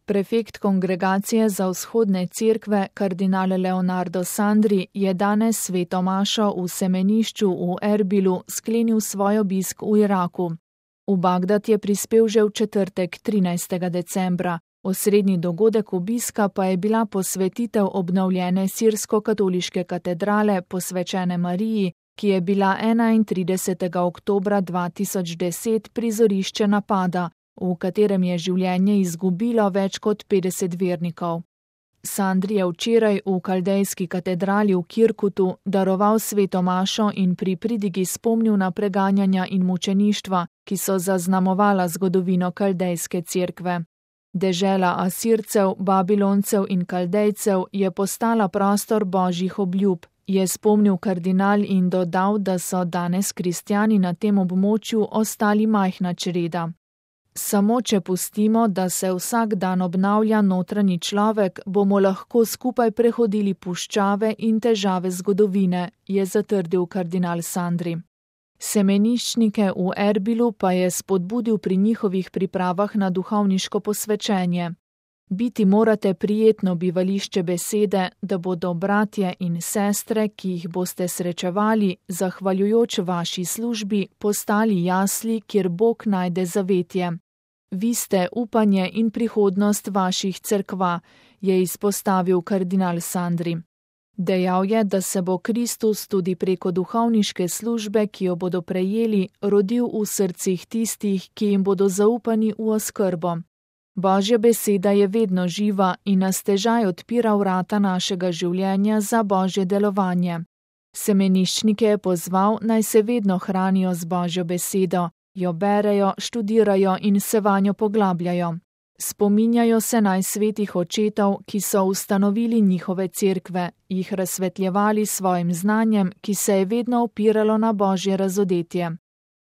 Prefekt Kongregacije za vzhodne cerkve, kardinal Leonardo Sandri, je danes sveto mašo v semenišču v Erbilu sklenil svoj obisk v Iraku. V Bagdad je prispel že v četrtek 13. decembra. Osrednji dogodek obiska pa je bila posvetitev obnovljene sirsko-katoliške katedrale posvečene Mariji, ki je bila 31. oktobra 2010 prizorišče napada, v katerem je življenje izgubilo več kot 50 vernikov. Sandri je včeraj v kaldejski katedrali v Kirkutu daroval sveto mašo in pri pridigi spomnil na preganjanja in mučeništva, ki so zaznamovala zgodovino kaldejske cerkve. Dežela Asircev, Babiloncev in Kaldejcev je postala prostor božjih obljub, je spomnil kardinal in dodal, da so danes kristjani na tem območju ostali majhna čreda. Samo če pustimo, da se vsak dan obnavlja notranji človek, bomo lahko skupaj prehodili puščave in težave zgodovine, je zatrdil kardinal Sandri. Semeniščnike v Erbilu pa je spodbudil pri njihovih pripravah na duhovniško posvečenje. Biti morate prijetno bivališče besede, da bodo bratje in sestre, ki jih boste srečevali, zahvaljujoč vaši službi, postali jasli, kjer Bog najde zavetje. Vi ste upanje in prihodnost vaših cerkva, je izpostavil kardinal Sandri. Dejal je, da se bo Kristus tudi preko duhovniške službe, ki jo bodo prejeli, rodil v srcih tistih, ki jim bodo zaupani v oskrbo. Božja beseda je vedno živa in nas težaj odpira vrata našega življenja za Božje delovanje. Semeniščnike je pozval, naj se vedno hranijo z Božjo besedo, jo berejo, študirajo in se vanjo poglabljajo. Spominjajo se naj svetih očetov, ki so ustanovili njihove cerkve, jih razsvetljevali svojim znanjem, ki se je vedno opiralo na Božje razodetje.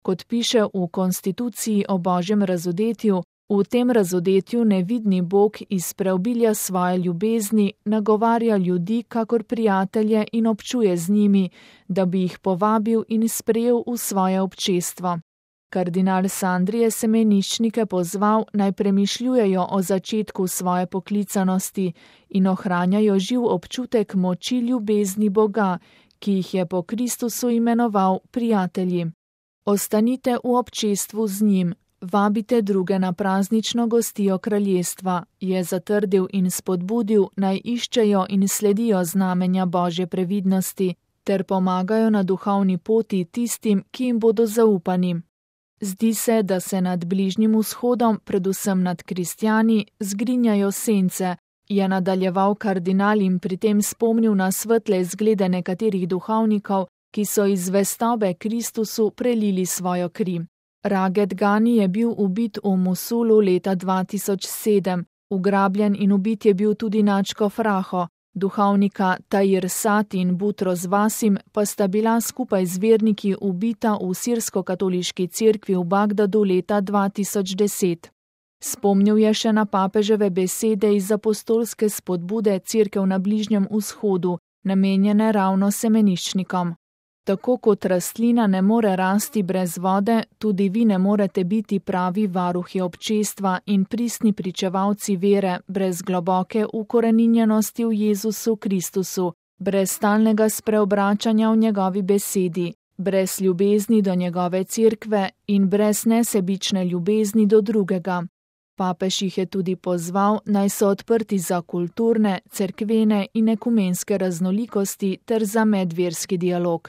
Kot piše v konstituciji o Božjem razodetju, v tem razodetju nevidni Bog iz preobilja svoje ljubezni nagovarja ljudi kakor prijatelje in občuje z njimi, da bi jih povabil in sprejel v svoje občestvo. Kardinal Sandri je semeniščnike pozval, naj premišljujejo o začetku svoje poklicanosti in ohranjajo živ občutek moči ljubezni Boga, ki jih je po Kristusu imenoval prijatelji. Ostanite v občestvu z njim, vabite druge na praznično gostijo kraljestva, je zatrdil in spodbudil, naj iščejo in sledijo znamenja Božje previdnosti, ter pomagajo na duhovni poti tistim, ki jim bodo zaupani. Zdi se, da se nad Bližnjim vzhodom, predvsem nad kristjani, zgrinjajo sence, je nadaljeval kardinal in pri tem spomnil na svetle zglede nekaterih duhovnikov, ki so iz zvestobe Kristusu prelili svojo kri. Raget Gani je bil ubit v Mosulu leta 2007, ugrabljen in ubit je bil tudi nadškof Raho. Duhovnika Tahir Sat in Butros Vasim pa sta bila skupaj z verniki ubita v sirsko-katoliški cerkvi v Bagdadu leta 2010. Spomnil je še na papeževe besede iz apostolske spodbude cerkev na Bližnjem vzhodu, namenjene ravno semeniščnikom. Tako kot rastlina ne more rasti brez vode, tudi vi ne morete biti pravi varuhi občestva in pristni pričevalci vere brez globoke ukoreninjenosti v Jezusu Kristusu, brez stalnega spreobračanja v njegovi besedi, brez ljubezni do njegove cerkve in brez nesebične ljubezni do drugega. Papež jih je tudi pozval, naj so odprti za kulturne, cerkvene in ekumenske raznolikosti ter za medverski dialog.